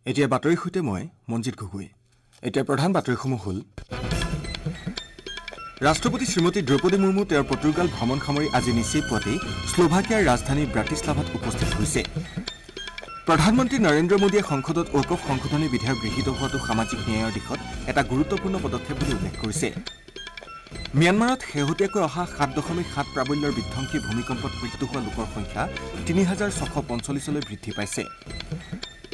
এতিয়া বাতৰিৰ সৈতে মই মঞ্জিত গগৈ। এতিয়া প্ৰধান বাতৰিসমূহ হ'ল ৰাষ্ট্ৰপতি শ্ৰীমতী দ্ৰৌপদী মুৰ্মু তেওঁৰ পৰ্তুগাল ভ্ৰমণ সামৰি আজি নিচেই পুৱাতেই শ্লোভাকিয়াৰ ৰাজধানী ব্ৰাটিছলাভাত উপস্থিত হৈছে। প্ৰধানমন্ত্ৰী নৰেন্দ্ৰ মোদীয়ে সংসদত ৱকফ সংশোধনী বিধেয়ক গৃহীত হোৱাটো সামাজিক ন্যায়ৰ দিশত এটা গুৰুত্বপূৰ্ণ পদক্ষেপ বুলি উল্লেখ কৰিছে। ম্যানমাৰত শেহতীয়াকৈ অহা 7.7 প্ৰাবল্যৰ বিধ্বংসী ভূমিকম্পত মৃত্যু হোৱা লোকৰ সংখ্যা 3645লৈ বৃদ্ধি পাইছে।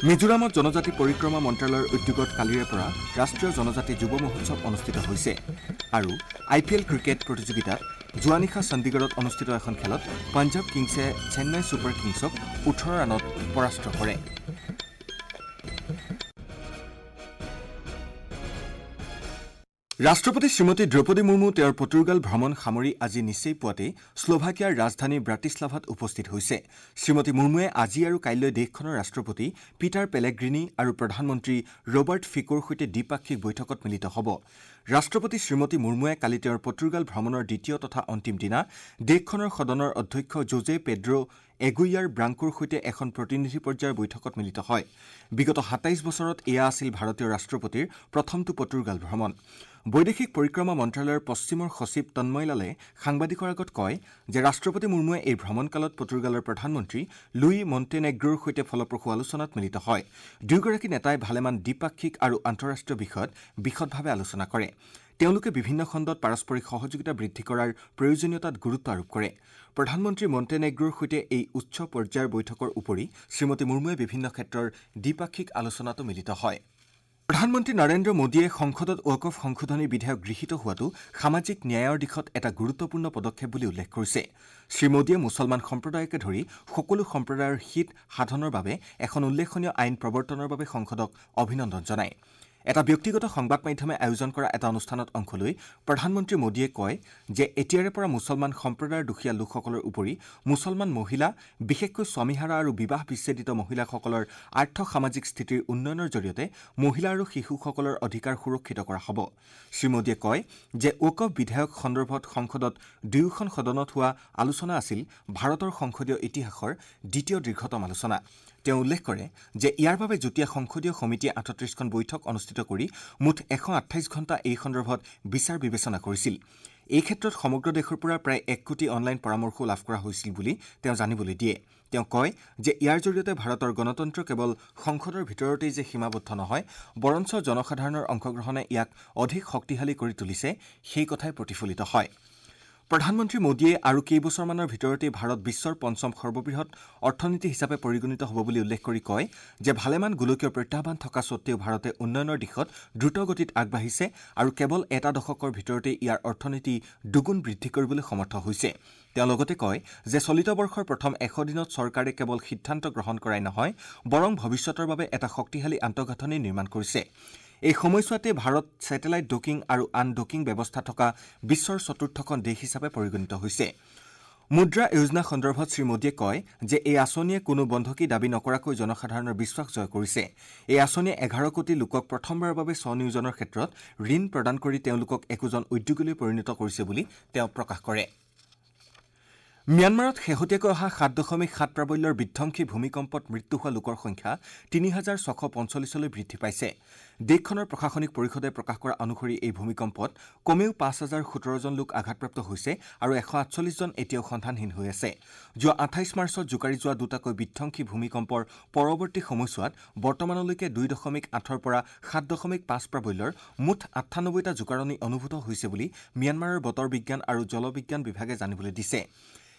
মিজোৰামত জনজাতি পৰিক্ৰমা মন্ত্ৰালয়ৰ উদ্যোগত কালিৰে পৰা ৰাষ্ট্ৰীয় জনজাতি যুৱ মহোৎসৱ অনুষ্ঠিত হৈছে। আৰু আই পি এল ক্ৰিকেট প্ৰতিযোগিতাত যোৱা নিশা চণ্ডীগড়ত অনুষ্ঠিত এখন খেলত পঞ্জাৱ কিংছে চেন্নাই ছুপাৰ কিংছক 18 ৰানত পৰাস্ত কৰে। ৰাষ্ট্ৰপতি শ্ৰীমতী দ্ৰৌপদী মুৰ্মু তেওঁৰ পৰ্তুগাল ভ্ৰমণ সামৰি আজি নিচেই পুৱাতেই শ্লোভাকিয়াৰ ৰাজধানী ব্ৰাটিছলাভাত উপস্থিত হৈছে। শ্ৰীমতী মুৰ্মুৱে আজি আৰু কাইলৈ দেশখনৰ ৰাষ্ট্ৰপতি পিটাৰ পেলেগ্ৰিনি আৰু প্ৰধানমন্ত্ৰী ৰবাৰ্ট ফিকোৰ সৈতে দ্বিপাক্ষিক বৈঠকত মিলিত হ'ব। ৰাষ্ট্ৰপতি শ্ৰীমতী মুৰ্মুৱে কালি তেওঁৰ পৰ্তুগাল ভ্ৰমণৰ দ্বিতীয় তথা অন্তিম দিনা দেশখনৰ সদনৰ অধ্যক্ষ জোজে পেড্ৰ' এগুইয়াৰ ব্ৰাংকোৰ সৈতে এখন প্ৰতিনিধি পৰ্যায়ৰ বৈঠকত মিলিত হয়। বিগত 27 বছৰত এয়া আছিল ভাৰতীয় ৰাষ্ট্ৰপতিৰ প্ৰথমটো পৰ্তুগাল ভ্ৰমণ। বৈদেশিক পৰিক্ৰমা মন্ত্ৰালয়ৰ পশ্চিমৰ সচিব তন্ময় লালে সাংবাদিকৰ আগত কয় যে ৰাষ্ট্ৰপতি মুৰ্মুৱে এই ভ্ৰমণকালত পৰ্তুগালৰ প্ৰধানমন্ত্ৰী লুই মণ্টেনেগ্ৰোৰ সৈতে ফলপ্ৰসূ আলোচনাত মিলিত হয়। দুয়োগৰাকী নেতাই ভালেমান দ্বিপাক্ষিক আৰু আন্তঃৰাষ্ট্ৰীয় বিষয়ত বিশদভাৱে আলোচনা কৰে। তেওঁলোকে বিভিন্ন খণ্ডত পাৰস্পৰিক সহযোগিতা বৃদ্ধি কৰাৰ প্ৰয়োজনীয়তাত গুৰুত্ব আৰোপ কৰে। প্ৰধানমন্ত্ৰী মণ্টেনেগ্ৰোৰ সৈতে এই উচ্চ পৰ্যায়ৰ বৈঠকৰ উপৰি শ্ৰীমতী মুৰ্মুৱে বিভিন্ন ক্ষেত্ৰৰ দ্বিপাক্ষিক আলোচনাতো মিলিত হয়। প্ৰধানমন্ত্ৰী নৰেন্দ্ৰ মোদীয়ে সংসদত ৱকফ সংশোধনী বিধেয়ক গৃহীত হোৱাটো সামাজিক ন্যায়ৰ দিশত এটা গুৰুত্বপূৰ্ণ পদক্ষেপ বুলি উল্লেখ কৰিছে। শ্ৰী মোদীয়ে মুছলমান সম্প্ৰদায়কে ধৰি সকলো সম্প্ৰদায়ৰ হিত সাধনৰ বাবে এখন উল্লেখনীয় আইন প্ৰৱৰ্তনৰ বাবে সংসদক অভিনন্দন জনায়। এটা ব্যক্তিগত সংবাদ মাধ্যমে আয়োজন কৰা এটা অনুষ্ঠানত অংশ লৈ প্ৰধানমন্ত্ৰী মোদীয়ে কয় যে এতিয়াৰে পৰা মুছলমান সম্প্ৰদায়ৰ দুখীয়া লোকসকলৰ উপৰি মুছলমান মহিলা, বিশেষকৈ স্বামীহাৰা আৰু বিবাহ বিচ্ছেদিত মহিলাসকলৰ আৰ্থ-সামাজিক স্থিতিৰ উন্নয়নৰ জৰিয়তে মহিলা আৰু শিশুসকলৰ অধিকাৰ সুৰক্ষিত কৰা হ'ব। শ্ৰী মোদীয়ে কয় যে ৱকফ বিধেয়ক সন্দৰ্ভত সংসদত দুয়োখন সদনত হোৱা আলোচনা আছিল ভাৰতৰ সংসদীয় ইতিহাসৰ দ্বিতীয় দীৰ্ঘতম আলোচনা। তেওঁ উল্লেখ কৰে যে ইয়াৰ বাবে যুটীয়া সংসদীয় সমিতিয়ে 38খন বৈঠক অনুষ্ঠিত কৰি মুঠ 128 ঘণ্টা এই সন্দৰ্ভত বিচাৰ বিবেচনা কৰিছিল। এই ক্ষেত্ৰত সমগ্ৰ দেশৰ পৰা প্ৰায় 1 কোটি অনলাইন পৰামৰ্শও লাভ কৰা হৈছিল বুলি তেওঁ জানিবলৈ দিয়ে। তেওঁ কয় যে ইয়াৰ জৰিয়তে ভাৰতৰ গণতন্ত্ৰ কেৱল সংসদৰ ভিতৰতেই যে সীমাবদ্ধ নহয়, বৰঞ্চ জনসাধাৰণৰ অংশগ্ৰহণে ইয়াক অধিক শক্তিশালী কৰি তুলিছে, সেই কথাই প্ৰতিফলিত হয়। প্ৰধানমন্ত্ৰী মোদীয়ে আৰু কেইবছৰমানৰ ভিতৰতেই ভাৰত বিশ্বৰ পঞ্চম সৰ্ববৃহৎ অৰ্থনীতি হিচাপে পৰিগণিত হ'ব বুলি উল্লেখ কৰি কয় যে ভালেমান গোলকীয় প্ৰত্যাহ্বান থকা স্বত্তেও ভাৰতে উন্নয়নৰ দিশত দ্ৰুতগতিত আগবাঢ়িছে আৰু কেৱল এটা দশকৰ ভিতৰতেই ইয়াৰ অৰ্থনীতি দুগুণ বৃদ্ধি কৰিবলৈ সমৰ্থ হৈছে। তেওঁ লগতে কয় যে চলিত বৰ্ষৰ প্ৰথম 100 দিনত চৰকাৰে কেৱল সিদ্ধান্ত গ্ৰহণ কৰাই নহয়, বৰং ভৱিষ্যতৰ বাবে এটা শক্তিশালী আন্তঃগাঁথনি নিৰ্মাণ কৰিছে। এই সময়ছোৱাতে ভাৰত ছেটেলাইট ডকিং আৰু আন ডকিং ব্যৱস্থা থকা বিশ্বৰ চতুৰ্থখন দেশ হিচাপে পৰিগণিত হৈছে। মুদ্ৰা যোজনা সন্দৰ্ভত শ্ৰী মোদীয়ে কয় যে এই আঁচনিয়ে কোনো বন্ধকী দাবী নকৰাকৈ জনসাধাৰণৰ বিশ্বাস জয় কৰিছে। এই আঁচনিয়ে 11 কোটি লোকক প্ৰথমবাৰৰ বাবে স্বনিয়োজনৰ ক্ষেত্ৰত ঋণ প্ৰদান কৰি তেওঁলোকক একোজন উদ্যোগীলৈ পৰিণত কৰিছে বুলি তেওঁ প্ৰকাশ কৰে। ম্যানমাৰত শেহতীয়াকৈ অহা 7.7 প্ৰাবল্যৰ বিধ্বংসী ভূমিকম্পত মৃত্যু হোৱা লোকৰ সংখ্যা 3645লৈ বৃদ্ধি পাইছে। দেশখনৰ প্ৰশাসনিক পৰিষদে প্ৰকাশ কৰা অনুসৰি এই ভূমিকম্পত কমেও 5017 জন লোক আঘাতপ্ৰাপ্ত হৈছে আৰু 148 জন এতিয়াও সন্ধানহীন হৈ আছে। যোৱা 28 মাৰ্চত জোকাৰি যোৱা দুটাকৈ বিধ্বংসী ভূমিকম্পৰ পৰৱৰ্তী সময়ছোৱাত বৰ্তমানলৈকে 2.8ৰ পৰা 7.5 প্ৰাবল্যৰ মুঠ 98টা জোকাৰণি অনুভূত হৈছে বুলি ম্যানমাৰৰ বতৰ বিজ্ঞান আৰু জলবিজ্ঞান বিভাগে জানিবলৈ দিছে।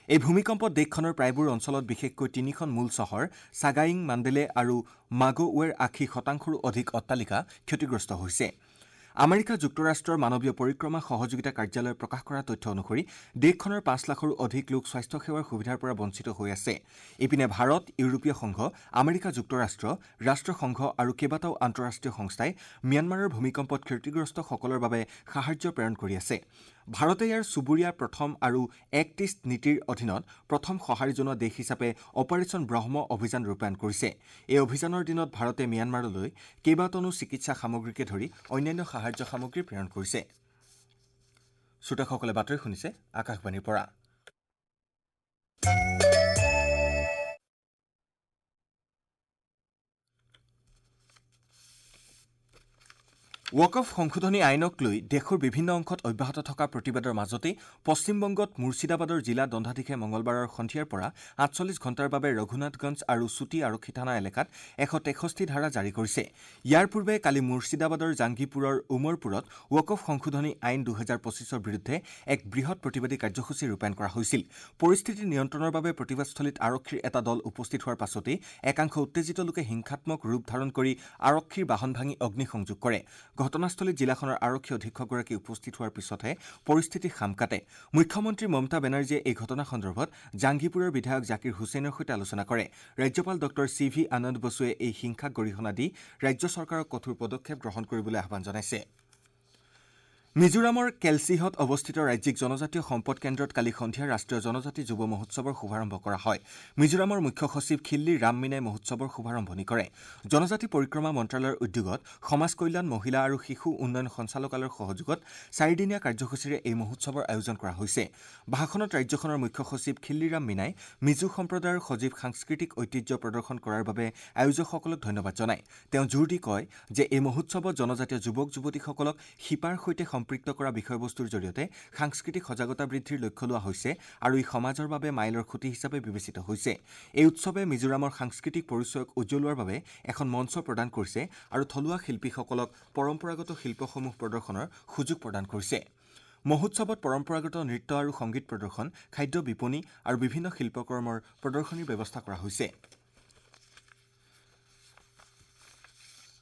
এই ভূমিকম্পত দেশখনৰ প্ৰায়বোৰ অঞ্চলত, বিশেষকৈ তিনিখন মূল চহৰ চাগাইং, মাণ্ডেলে আৰু মাগোৱেৰ 80%ৰো অধিক অট্টালিকা ক্ষতিগ্ৰস্ত হৈছে। আমেৰিকা যুক্তৰাষ্ট্ৰৰ মানৱীয় পৰিক্ৰমা সহযোগিতা কাৰ্যালয়ে প্ৰকাশ কৰা তথ্য অনুসৰি দেশখনৰ 5 লাখৰো অধিক লোক স্বাস্থ্যসেৱাৰ সুবিধাৰ পৰা বঞ্চিত হৈ আছে। ইপিনে ভাৰত, ইউৰোপীয় সংঘ, আমেৰিকা যুক্তৰাষ্ট্ৰ, ৰাষ্ট্ৰসংঘ আৰু কেইবাটাও আন্তঃৰাষ্ট্ৰীয় সংস্থাই ম্যানমাৰৰ ভূমিকম্পত ক্ষতিগ্ৰস্তসকলৰ বাবে সাহায্য প্ৰেৰণ কৰি আছে। ভাৰতে ইয়াৰ চুবুৰীয়া প্ৰথম আৰু এক্ট ইষ্ট নীতিৰ অধীনত প্ৰথম সঁহাৰি জনোৱা দেশ হিচাপে অপাৰেচন ব্ৰহ্ম অভিযান ৰূপায়ণ কৰিছে। এই অভিযানৰ দিনত ভাৰতে ম্যানমাৰলৈ কেইবাটনো চিকিৎসা সামগ্ৰীকে ধৰি অন্যান্য সাহায্য সামগ্ৰী প্ৰেৰণ কৰিছে। শ্ৰোতাসকলে বাতৰি শুনিছে আকাশবাণীৰ পৰা। ৱাকফ সংশোধনী আইনক লৈ দেশৰ বিভিন্ন অংশত অব্যাহত থকা প্ৰতিবাদৰ মাজতে পশ্চিমবংগত মুৰ্ছিদাবাদৰ জিলা দণ্ডাধীশে মঙলবাৰৰ সন্ধিয়াৰ পৰা 48 ঘণ্টাৰ বাবে ৰঘুনাথগঞ্জ আৰু চুটি আৰক্ষী থানা এলেকাত 163 ধাৰা জাৰি কৰিছে। ইয়াৰ পূৰ্বে কালি মুৰ্ছিদাবাদৰ জাংগীপুৰৰ উমৰপুৰত ৱাকফ সংশোধনী আইন 2025ৰ বিৰুদ্ধে এক বৃহৎ প্ৰতিবাদী কাৰ্যসূচী ৰূপায়ণ কৰা হৈছিল। পৰিস্থিতি নিয়ন্ত্ৰণৰ বাবে প্ৰতিবাদস্থলীত আৰক্ষীৰ এটা দল উপস্থিত হোৱাৰ পাছতেই একাংশ উত্তেজিত লোকে হিংসাত্মক ৰূপ ধাৰণ কৰি আৰক্ষীৰ বাহন ভাঙি অগ্নিসংযোগ কৰে। ঘটনাস্থলীত জিলাখনৰ আৰক্ষী অধীক্ষকগৰাকী উপস্থিত হোৱাৰ পিছতহে পৰিস্থিতি শাম কাটে। মুখ্যমন্ত্ৰী মমতা বেনাৰ্জীয়ে এই ঘটনা সন্দৰ্ভত জাংগীপুৰৰ বিধায়ক জাকিৰ হুছেইনৰ সৈতে আলোচনা কৰে। ৰাজ্যপাল ডঃ চি ভি আনন্দ বসুৱে এই হিংসাক গৰিহণা দি ৰাজ্য চৰকাৰক কঠোৰ পদক্ষেপ গ্ৰহণ কৰিবলৈ আহ্বান জনাইছে। মিজোৰামৰ কেলচিহত অৱস্থিত ৰাজ্যিক জনজাতীয় সম্পদ কেন্দ্ৰত কালি সন্ধিয়া ৰাষ্ট্ৰীয় জনজাতি যুৱ মহোৎসৱৰ শুভাৰম্ভ কৰা হয়। মিজোৰামৰ মুখ্য সচিব খিল্লী ৰাম মীনাই মহোৎসৱৰ শুভাৰম্ভণি কৰে। জনজাতি পৰিক্ৰমা মন্ত্ৰালয়ৰ উদ্যোগত সমাজ কল্যাণ, মহিলা আৰু শিশু উন্নয়ন সঞ্চালকালয়ৰ সহযোগত চাৰিদিনীয়া কাৰ্যসূচীৰে এই মহোৎসৱৰ আয়োজন কৰা হৈছে। ভাষণত ৰাজ্যখনৰ মুখ্য সচিব খিল্লীৰাম মীনাই মিজো সম্প্ৰদায়ৰ সজীৱ সাংস্কৃতিক ঐতিহ্য প্ৰদৰ্শন কৰাৰ বাবে আয়োজকসকলক ধন্যবাদ জনায়। তেওঁ জোৰ দি কয় যে এই মহোৎসৱত জনজাতীয় যুৱক যুৱতীসকলক শিপাৰ সৈতে সম্পৃক্ত কৰা বিষয়বস্তুৰ জৰিয়তে সাংস্কৃতিক সজাগতা বৃদ্ধিৰ লক্ষ্য লোৱা হৈছে আৰু ই সমাজৰ বাবে মাইলৰ খুঁটি হিচাপে বিবেচিত হৈছে। এই উৎসৱে মিজোৰামৰ সাংস্কৃতিক পৰিচয়ক উজ্জ্বলোৱাৰ বাবে এখন মঞ্চ প্ৰদান কৰিছে আৰু থলুৱা শিল্পীসকলক পৰম্পৰাগত শিল্পসমূহ প্ৰদৰ্শনৰ সুযোগ প্ৰদান কৰিছে। মহোৎসৱত পৰম্পৰাগত নৃত্য আৰু সংগীত প্ৰদৰ্শন, খাদ্য বিপণী আৰু বিভিন্ন শিল্পকৰ্মৰ প্ৰদৰ্শনীৰ ব্যৱস্থা কৰা হৈছে।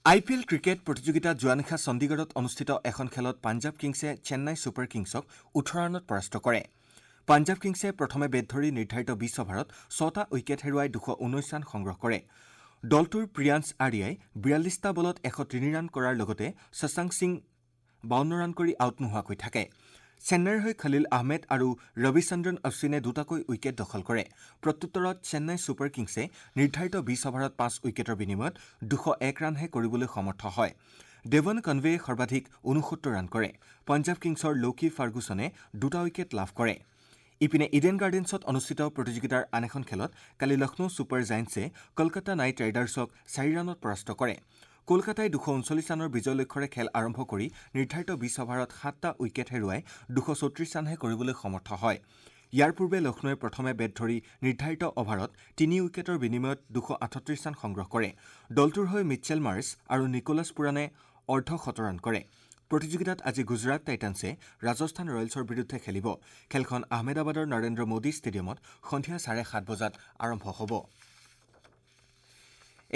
আই পি এল ক্ৰিকেট প্ৰতিযোগিতাত যোৱা নিশা চণ্ডীগড়ত অনুষ্ঠিত এখন খেলত পাঞ্জাৱ কিংছে চেন্নাই ছুপাৰ কিংছক 18 ৰানত পৰাস্ত কৰে। পাঞ্জাৱ কিংছে প্ৰথমে বেট ধৰি নিৰ্ধাৰিত 20 অভাৰত 6টা উইকেট হেৰুৱাই 219 ৰান সংগ্ৰহ কৰে। দলটোৰ প্ৰিয়াংশ আৰ্যাই 42টা বলত 103 ৰান কৰাৰ লগতে শশাংক সিং 52 ৰান কৰি আউট নোহোৱাকৈ থাকে। চেন্নাইৰ হৈ খলিল আহমেদ আৰু ৰবিচন্দ্ৰন অশ্বিনে দুটাকৈ উইকেট দখল কৰে। প্ৰত্যুত্তৰত চেন্নাই ছুপাৰ কিংছে নিৰ্ধাৰিত 20 অভাৰত 5 উইকেটৰ বিনিময়ত 201 ৰানহে কৰিবলৈ সমৰ্থ হয়। ডেভন কনৱেয়ে সৰ্বাধিক 69 ৰান কৰে। পঞ্জাৱ কিংছৰ লৌকি ফাৰ্গুছনে দুটা উইকেট লাভ কৰে। ইপিনে ইডেন গাৰ্ডেন্সত অনুষ্ঠিত প্ৰতিযোগিতাৰ আন এখন খেলত কালি লক্ষ্ণৌ ছুপাৰ জায়েণ্টছে কলকাতা নাইট ৰাইডাৰ্ছক 4 ৰানত পৰাস্ত কৰে। কলকাতাই 239 ৰানৰ বিজয় লক্ষ্যৰে খেল আৰম্ভ কৰি নিৰ্ধাৰিত 20 অভাৰত 7টা উইকেট হেৰুৱাই 234 ৰানহে কৰিবলৈ সমৰ্থ হয়। ইয়াৰ পূৰ্বে লক্ষ্ণৌৱে প্ৰথমে বেট ধৰি নিৰ্ধাৰিত অভাৰত 3 উইকেটৰ বিনিময়ত 238 ৰান সংগ্ৰহ কৰে। দলটোৰ হৈ মিচেল মাৰ্ছ আৰু নিকোলাছ পুৰাণে অৰ্ধশত ৰান কৰে। প্ৰতিযোগিতাত আজি গুজৰাট টাইটানছে ৰাজস্থান ৰয়েলছৰ বিৰুদ্ধে খেলিব। খেলখন আহমেদাবাদৰ নৰেন্দ্ৰ মোদী ষ্টেডিয়ামত সন্ধিয়া 7:30 বজাত আৰম্ভ হ'ব।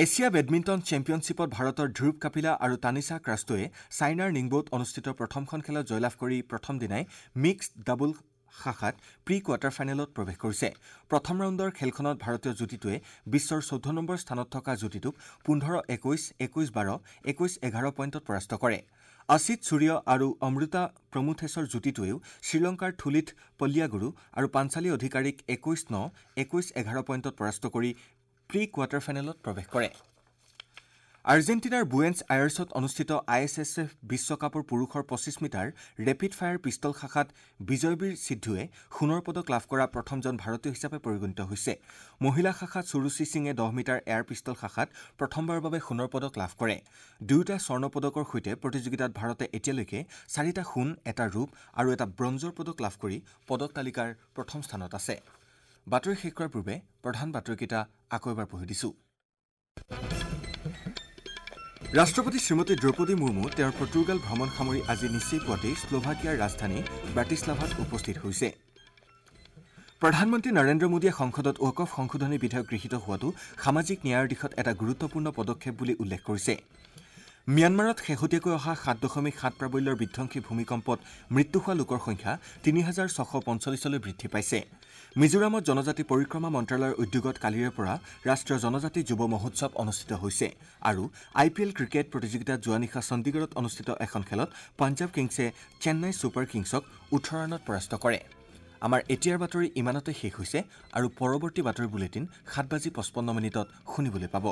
এছিয়া বেডমিণ্টন চেম্পিয়নশ্বিপত ভাৰতৰ ধ্ৰুৱ কাপিলা আৰু তানিছা ক্ৰাষ্টোৱে চাইনাৰ নিংবোত অনুষ্ঠিত প্ৰথমখন খেলত জয়লাভ কৰি প্ৰথম দিনাই মিক্সড ডাবল শাখাত প্ৰি কোৱাৰ্টাৰ ফাইনেলত প্ৰৱেশ কৰিছে। প্ৰথম ৰাউণ্ডৰ খেলখনত ভাৰতীয় যুটিটোৱে বিশ্বৰ 14 নম্বৰ স্থানত থকা যুটিটোক 15-21, 21-12, 21-11 পইণ্টত পৰাস্ত কৰে। অসিত সূৰ্য আৰু অমৃতা প্ৰমুথেছৰ যুটিটোৱেও শ্ৰীলংকাৰ থুলিথ পল্লিয়াগুৰু আৰু পাঞ্চালী অধিকাৰীক 21-9, 21-11 পইণ্টত পৰাস্ত কৰি প্ৰি কোৱাৰ্টাৰ ফাইনেলত প্ৰৱেশ কৰে। আৰ্জেণ্টিনাৰ বুয়েন্স আয়াৰ্ছত অনুষ্ঠিত I S S F বিশ্বকাপৰ পুৰুষৰ 25 মিটাৰ ৰেপিড ফায়াৰ পিষ্টল শাখাত বিজয়বীৰ সিদ্ধুৱে সোণৰ পদক লাভ কৰা প্ৰথমজন ভাৰতীয় হিচাপে পৰিগণিত হৈছে। মহিলা শাখাত সুৰুচি সিঙে 10 মিটাৰ এয়াৰ পিষ্টল শাখাত প্ৰথমবাৰৰ বাবে সোণৰ পদক লাভ কৰে। দুয়োটা স্বৰ্ণ পদকৰ সৈতে প্ৰতিযোগিতাত ভাৰতে এতিয়ালৈকে 4টা সোণ, এটা ৰূপ আৰু এটা ব্ৰঞ্জৰ পদক লাভ কৰি পদক তালিকাৰ প্ৰথম স্থানত আছে। বাতৰি শেষ কৰাৰ পূৰ্বে প্ৰধান বাতৰিকেইটা আকৌ এবাৰ পঢ়ি দিছোঁ। ৰাষ্ট্ৰপতি শ্ৰীমতী দ্ৰৌপদী মুৰ্মু তেওঁৰ পৰ্তুগাল ভ্ৰমণ সামৰি আজি নিচেই পুৱাতেই শ্লোভাকিয়াৰ ৰাজধানী ব্ৰাটিছলাভাত উপস্থিত হৈছে। প্ৰধানমন্ত্ৰী নৰেন্দ্ৰ মোদীয়ে সংসদত ৱাকফ সংশোধনী বিধেয়ক গৃহীত হোৱাটো সামাজিক ন্যায়ৰ দিশত এটা গুৰুত্বপূৰ্ণ পদক্ষেপ বুলি উল্লেখ কৰিছে। ম্যানমাৰত শেহতীয়াকৈ অহা 7.7 প্ৰাবল্যৰ বিধ্বংসী ভূমিকম্পত মৃত্যু হোৱা লোকৰ সংখ্যা 3645লৈ বৃদ্ধি পাইছে। মিজোৰামত জনজাতি পৰিক্ৰমা মন্ত্ৰালয়ৰ উদ্যোগত কালিৰে পৰা ৰাষ্ট্ৰীয় জনজাতি যুৱ মহোৎসৱ অনুষ্ঠিত হৈছে আৰু আই পি এল ক্ৰিকেট প্ৰতিযোগিতাত যোৱা নিশা চণ্ডীগড়ত অনুষ্ঠিত এখন খেলত পাঞ্জাৱ কিংছে চেন্নাই ছুপাৰ কিংছক 18 ৰানত পৰাস্ত কৰে। আমাৰ এতিয়াৰ বাতৰি ইমানতে শেষ হৈছে আৰু পৰৱৰ্তী বাতৰি বুলেটিন 7:55 শুনিবলৈ পাব।